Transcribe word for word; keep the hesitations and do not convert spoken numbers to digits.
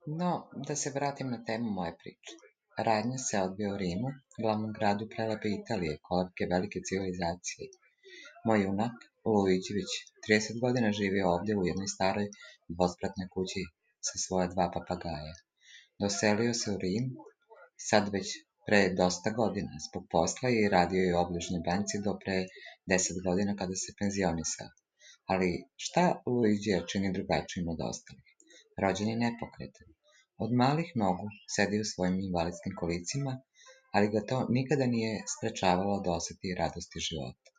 No, da se vratim na temu moje priče. Radnja se odvija u Rimu, glavnom gradu prelepe Italije, kolevke velike civilizacije. Moj junak, Luiđi, već trideset godina živi ovde u jednoj staroj dvospratnoj kući sa svoja dva papagaja. Doselio se u Rim, sad već pre dosta godina, zbog posla i radio je u obližnjoj banci do pre deset godina kada se penzionisao. Ali šta Luiđija čini drugačijim od ostalih? Rođen je nepokretan. Od malih nogu sedi u svojim invalidskim kolicima, ali ga to nikada nije sprečavalo da oseti radosti života.